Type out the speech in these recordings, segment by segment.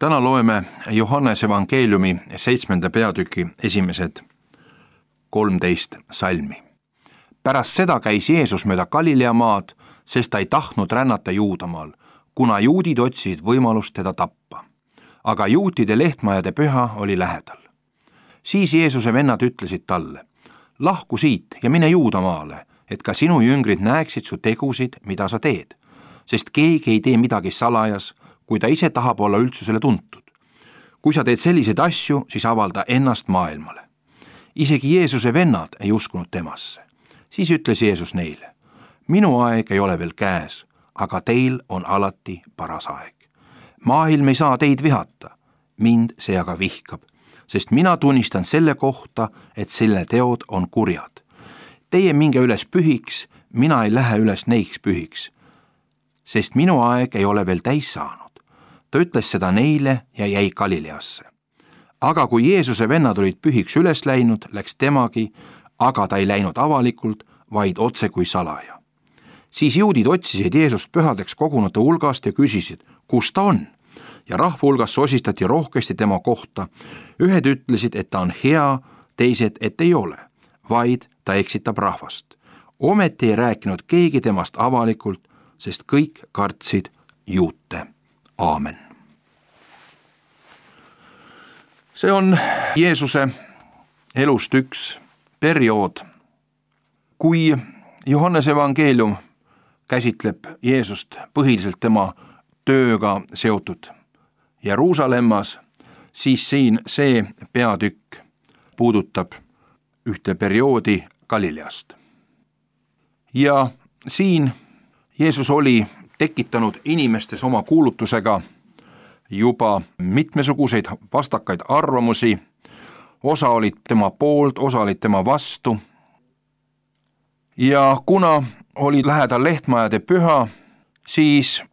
Täna loeme Johannese evangeeliumi 7. peatüki esimesed 13 salmi. Pärast seda käis Jeesus mööda Galilea maad, sest ta ei tahtnud rännata Juudamaal, kuna juudid otsisid võimalust teda tappa. Aga juutide lehtmajade püha oli lähedal. Siis Jeesuse vennad ütlesid talle: lahku siit ja mine Juudamaale, et ka sinu jüngrid näeksid su tegusid, mida sa teed, sest keegi ei tee midagi salajas, kui ta ise tahab olla üldsusele tuntud. Kui sa teed selliseid asju, siis avalda ennast maailmale. Isegi Jeesuse vennad ei uskunud temasse. Siis ütles Jeesus neile: minu aeg ei ole veel käes, aga teil on alati paras aeg. Maailm ei saa teid vihata, mind see aga vihkab, sest mina tunnistan selle kohta, et selle teod on kurjad. Teie minge üles pühiks, mina ei lähe üles neiks pühiks, sest minu aeg ei ole veel täis saanud. Ta ütles seda neile ja jäi Galileasse. Aga kui Jeesuse vennad olid pühiks üles läinud, läks temagi, aga ta ei läinud avalikult, vaid otse kui salaja. Siis juudid otsisid Jeesust pühadeks kogunute hulgast ja küsisid, kus ta on? Ja rahva hulgas sosistati rohkesti tema kohta. Ühed ütlesid, et ta on hea, teised, et ei ole, vaid ta eksitab rahvast. Ometi ei rääkinud keegi temast avalikult, sest kõik kartsid juute. Aamen. See on Jeesuse elust üks periood. Kui Johannese evangeelium käsitleb Jeesust põhiliselt tema tööga seotud Jeruusalemmas, siis siin see peatükk puudutab ühte perioodi Galileast. Ja siin Jeesus oli tekitanud inimestes oma kuulutusega juba mitmesuguseid vastakaid arvamusi. Osa olid tema poolt, osa olid tema vastu. Ja kuna oli lähedal lehtmajade püha, siis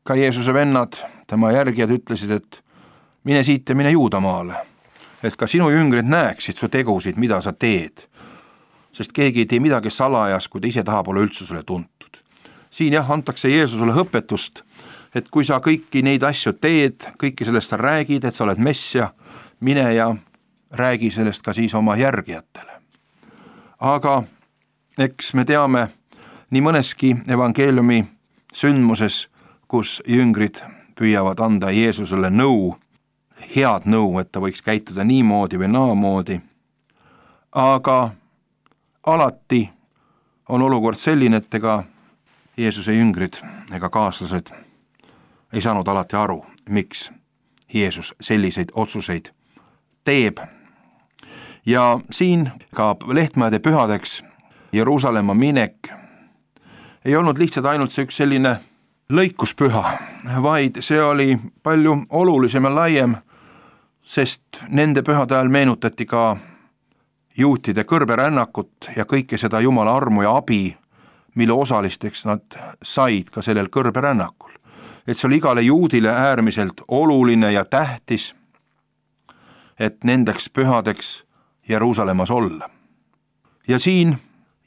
ka Jeesuse vennad, tema järgijad ütlesid, et mine siit ja mine Juudamaale, et ka sinu jüngrid näeksid su tegusid, mida sa teed, sest keegi ei tee midagi salajas, kui ta ise tahab olla üldsusele tuntud. Siin antakse Jeesusele õpetust, et kui sa kõiki neid asju teed, kõiki sellest sa räägid, et sa oled Messia, mine ja räägi sellest ka siis oma järgijatele. Aga eks me teame nii mõneski evangeeliumi sündmuses, kus jüngrid püüavad anda Jeesusele nõu, head nõu, et ta võiks käituda niimoodi või naamoodi. Aga alati on olukord selline, et ega Jeesuse jüngrid ega kaaslased ei saanud alati aru, miks Jeesus selliseid otsuseid teeb. Ja siin ka lehtmajade pühadeks Jeruusalemma minek ei olnud lihtsalt ainult see üks selline lõikuspüha, vaid see oli palju olulisem ja laiem, sest nende pühade ajal meenutati ka juutide kõrberännakut ja kõike seda Jumala armu ja abi, mille osalisteks nad said ka sellel kõrberännakul. Et see oli igale juudile äärmiselt oluline ja tähtis, et nendeks pühadeks Jeruusalemmas olla. Ja siin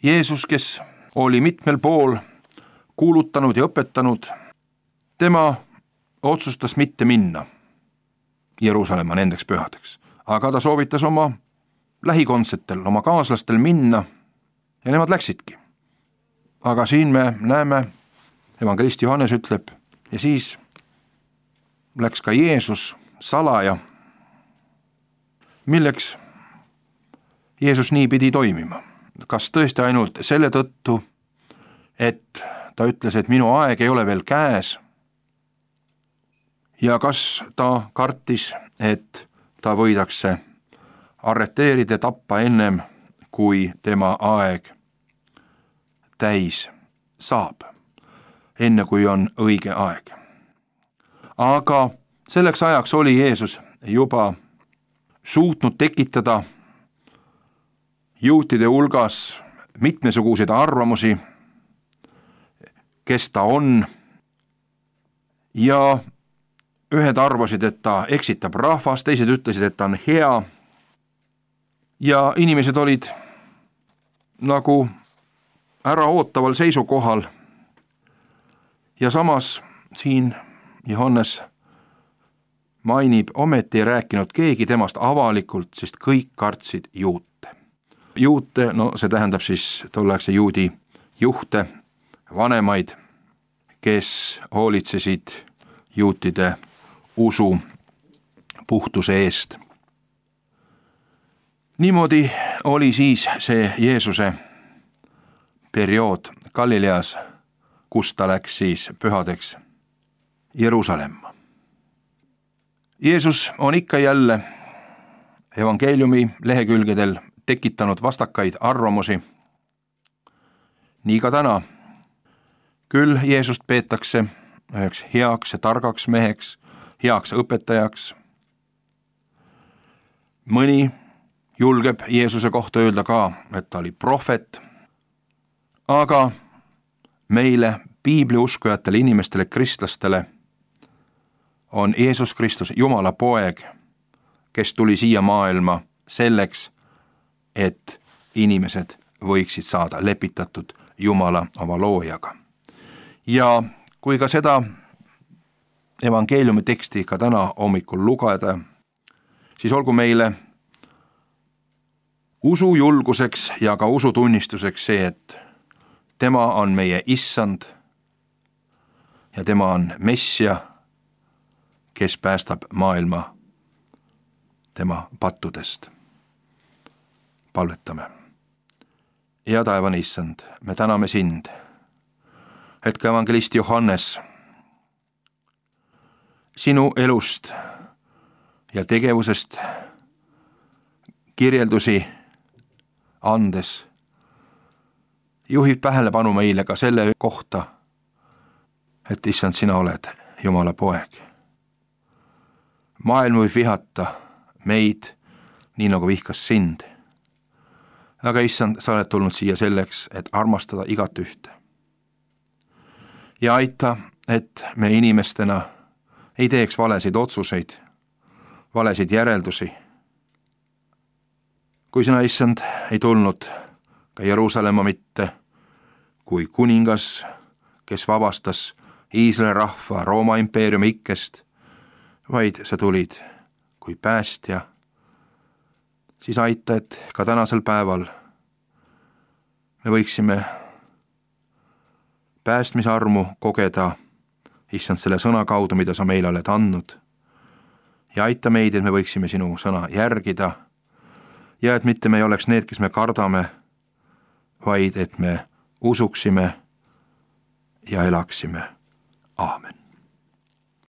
Jeesus, kes oli mitmel pool kuulutanud ja õpetanud, tema otsustas mitte minna Jeruusalemma nendeks pühadeks, aga ta soovitas oma lähikondsetel, oma kaaslastel minna ja nemad läksidki. Aga siin me näeme, evangelist Johannes ütleb, ja siis läks ka Jeesus salaja. Milleks Jeesus nii pidi toimima? Kas tõesti ainult selle tõttu, et ta ütles, et minu aeg ei ole veel käes? Ja kas ta kartis, et ta võidakse arreteerida, tappa ennem, kui tema aeg täis saab, enne kui on õige aeg. Aga selleks ajaks oli Jeesus juba suutnud tekitada juutide hulgas mitmesuguseid arvamusi, kes ta on, ja ühed arvasid, et ta eksitab rahvast, teised ütlesid, et ta on hea, ja inimesed olid nagu äraootaval seisukohal. Ja samas siin Johannes mainib, ometi ei rääkinud keegi temast avalikult, sest kõik kartsid juute. Juute, no see tähendab siis tolleaegse juudi juhte, vanemaid, kes hoolitsesid juutide usu puhtuse eest. Niimoodi oli siis see Jeesuse periood Galileas, kus ta läks siis pühadeks Jeruusalemma. Jeesus on ikka jälle evangeeliumi lehekülgedel tekitanud vastakaid arvamusi. Nii ka täna. Küll Jeesust peetakse üheks heaks ja targaks meheks, heaks õpetajaks. Mõni julgeb Jeesuse kohta öelda ka, et ta oli prohvet. Aga meile, piibliuskujatele inimestele, kristlastele, on Jeesus Kristus Jumala poeg, kes tuli siia maailma selleks, et inimesed võiksid saada lepitatud Jumala oma loojaga. Ja kui ka seda evangeeliumi teksti ka täna hommikul lugeda, siis olgu meile usujulguseks ja ka usutunnistuseks see, et tema on meie issand ja tema on Messia, kes päästab maailma tema pattudest. Palvetame. Ja taevane issand, me täname sind, et ka evangelist Johannes sinu elust ja tegevusest kirjeldusi andes juhib tähelepanu meile ka selle kohta, et issand, sina oled Jumala poeg. Maailm võib vihata meid nii nagu vihkas sind. Aga issand, sa oled tulnud siia selleks, et armastada igat ühte. Ja aita, et me inimestena ei teeks valesid otsuseid, valesid järeldusi. Kui sina, issand, ei tulnud ka Jeruusalemma mitte kui kuningas, kes vabastas Iisraeli rahva Rooma impeeriumi ikkest, vaid sa tulid kui päästja, siis aita, et ka tänasel päeval me võiksime päästmisarmu kogeda, issand, selle sõna kaudu, mida sa meile oled andnud. Ja aita meid, et me võiksime sinu sõna järgida ja et mitte me ei oleks need, kes me kardame, vaid et me usuksime ja elaksime. Aamen.